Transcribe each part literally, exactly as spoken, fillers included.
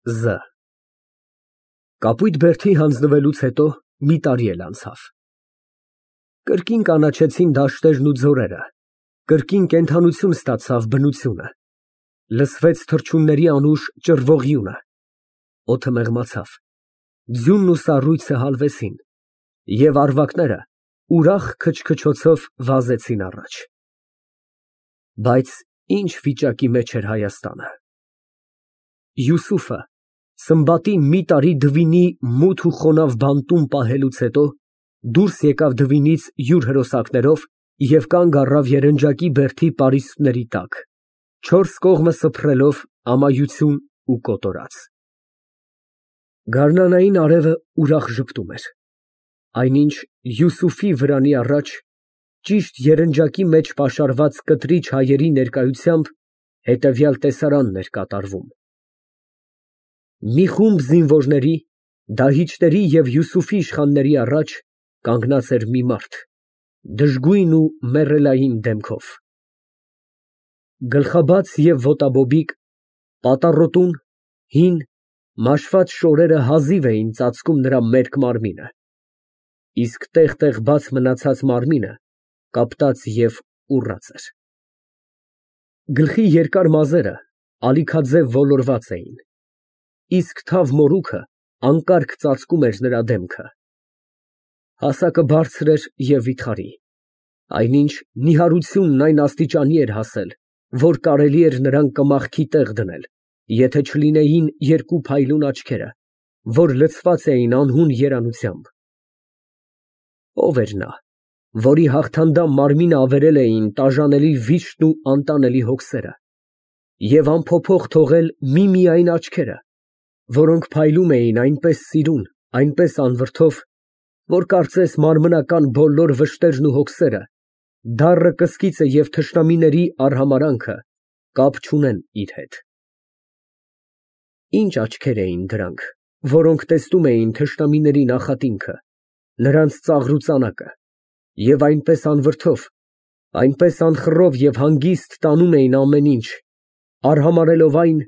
Զ Կապույտ բերդի հանձնվելուց հետո մի տարի էլ անցավ։ Կրկին կանաչեցին դաշտերն ու ձորերը, կրկին կենդանություն ստացավ բնությունը, լսվեց թռչունների անուշ ճռվողյունը, օդը մեղմացավ, ձյունն ու սառույցը հալվեցին, և առվակները ուրախ քչքչոցով վազեցին առաջ։ Բայց ի՞նչ վիճակի մեջ էր Հայաստանը։ Յուսուֆը Սմբատի մի տարի դվինի մութ ու խոնավ բանտում պահելուց հետո դուրս եկավ դվինից յուր հրոսակներով և կանգ առավ երնջակի բերդի պարիսպների տակ, չորս կողմը սփռելով ամայություն ու կոտորած։ Գարնանային արևը ուրախ ժպտում էր, այնինչ Յուսուֆի վրանի առաջ, ճիշտ երնջակի մեջ պաշարված կտրիչ հայերի ներկայությամբ հետևյալ տեսարանն էր կատարվում. Մի խումբ զինվորների, դահիճների և Յուսուֆի իշխանների առաջ կանգնած էր մի մարդ, դժգույն ու մեռելային դեմքով, գլխաբաց և ոտաբոբիկ, պատառոտուն, հին, մաշված շորերը հազիվ էին ծածկում նրա մերկ մարմինը, իսկ տեղ֊տեղ բաց մնացած մարմինը կապտած և ուռած էր։ Գլխի երկար մազերը ալիքաձև ոլորված էին, իսկ թավ մորուքը անկարգ ծածկում էր նրա դեմքը։ Հասակը բարձր էր և վիթխարի, այնինչ նիհարությունն այն աստիճանի էր հասել, որ կարելի էր նրան կմախքի տեղ դնել, եթե չլինեին երկու փայլուն աչքերը, որ լցված էին անհուն երանությամբ։ Ո՞վ էր նա, որի հաղթանդամ մարմինը ավերել էին տաժանելի վիշտն ու անտանելի հոգսերը և անփոփոխ թողել միմիայն աչքերը, որոնք փայլում էին այնպես սիրուն, այնպես անվրդով, որ կարծես մարմնական բոլոր վշտերն ու հոգսերը, դառը կսկիծը և թշնամիների արհամարհանքը կապ չունեն իր հետ։ Ինչ աչքեր էին դրանք, որոնք տեսնում էին թշնամիների նախատինքը, նրանց ծաղրուծանակը, և այնպես անվրդով, այնպես անխռով և հանգիստ տանում էին ամեն ինչ, արհամարհելով այն,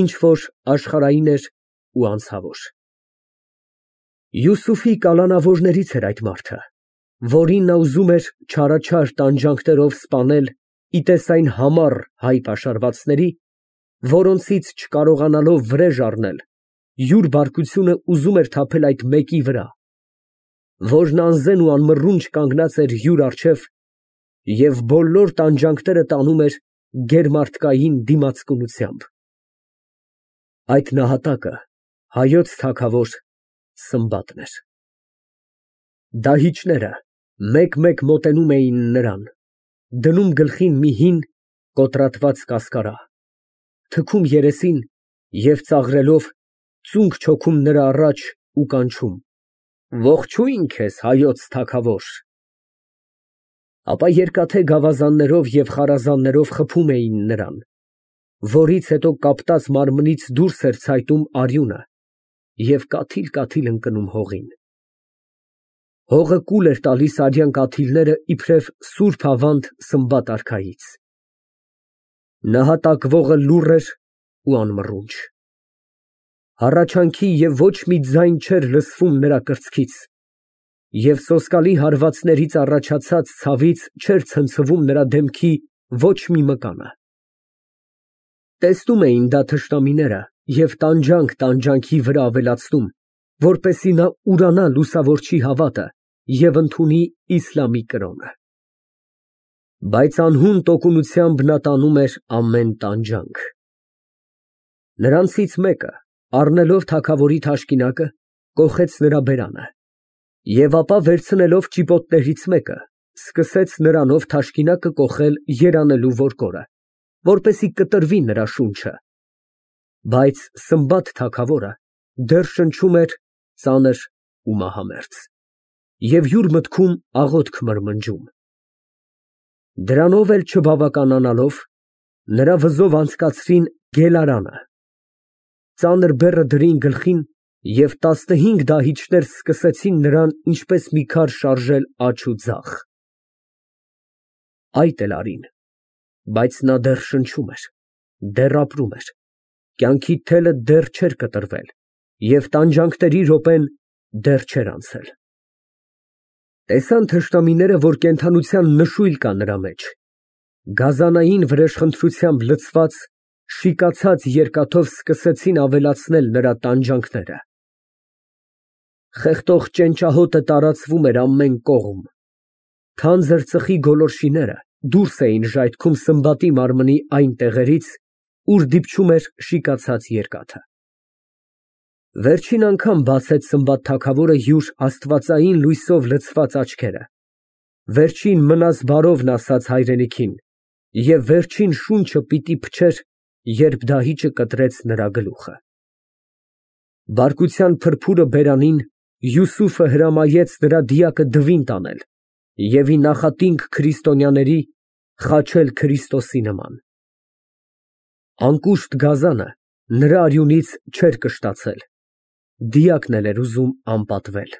ինչ որ աշխարհային էր ու անցավոր։ Յուսուֆի կալանավորներից էր այդ մարդը, որին նա ուզում էր չարաչար տանջանքներով սպանել ի տես այն համառ հայ պաշարվածների, որոնցից չկարողանալով վրեժ առնել, յուր բարկությունը ուզում էր թափել այդ մեկի վրա, որն անզեն ու անմռունչ կանգնած էր յուր առջև և բոլոր տանջանքները տանում էր գերմարդկային դիմացկունությամբ։ Այդ նահատակը հայոց թագավոր Սմբատն էր։ Դահիճները մեկ֊մեկ մոտենում էին նրան, դնում գլխին մի հին կոտրատված կասկարա, թքում երեսին և ծաղրելով ծունկ չոքում նրա առաջ ու կանչում. «Ողջույն քեզ, հայոց թագավոր»։ Ապա երկաթե գավազաններով և խարազաններով խփում էին նրան, որից հետո կապտած մարմնից դուրս էր ցայտում արյունը և կաթիլ֊կաթիլ ընկնում հողին։ Հողը կուլ էր տալիս արյան կաթիլները իբրև սուրբ ավանդ Սմբատ արքայից։ Նահատակվողը լուռ էր ու անմռունչ։ Հառաչանքի և ոչ մի ձայն չէր լսվում նրա կրծքից, և սոսկալի հարվածներից առաջացած ցավից չէր ցնցվում նրա դեմքի ոչ մի մկանը։ Տեսնում էին դա թշնամիները և տանջանք տանջանքի վրա ավելացնում, որպեսզի նա ուրանա լուսավորչի հավատը և ընդունի իսլամի կրոնը։ Բայց անհուն տոկունությամբ նա տանում էր ամեն տանջանք։ Նրանցից մեկը, առնելով թագավորի թաշկինակը, կոխեց նրա բերանը և ապա վերցնելով ճիպոտներից մեկը, սկսեց նրանով թաշկինակը կոխել երանելու ворկորը, որպեսզի կտրվի նրա շունչը, բայց Սմբատ թագավորը դեռ շնչում էր ծանր ու մահամերձ և յուր մտքում աղոթք մրմնջում։ Դրանով էլ չբավականանալով, նրա վզով անցկացրին գելարանը, ծանր բեռը դրին գլխին և տասնհինգ դահիճներ սկսեցին նրան ինչպես մի քար շարժել աջ ու ձախ։ Այդ էլ արին, բայց նա դեռ շնչում էր, դեռ ապրում էր, Կյանքի թելը դեռ չէր կտրվել և տանջանքների րոպեն դեռ չէր անցել։ Տեսան թշնամիները, որ կենդանության նշույլ կա նրա մեջ, գազանային վրեժխնդրությամբ լցված, շիկացած երկաթով սկսեցին ավելացնել նրա տանջանքները։ Խեղդող ճենճահոտը տարածվում էր ամեն կողմ, թանձր ծխի գոլորշիները դուրս էին ժայթքում Սմբատի մարմնի այն տեղերից, ուր դիպչում էր շիկացած երկաթը։ Վերջին անգամ բացեց Սմբատ թագավորը յուր աստվածային լույսով լցված աչքերը, վերջին մնաս բարովն ասաց հայրենիքին և վերջին շունչը պիտի փչեր, երբ դահիճը կտրեց նրա գլուխը։ Բարկության փրփուրը բերանին, Յուսուֆը հրամայեց նրա դիակը դվին տանել և ի նախատինք քրիստոնյաների խաչել Քրիստոսի նման։ Անկուշտ գազանը նրա արյունից չէր կշտացել, դիակն էլ էր ուզում անպատվել։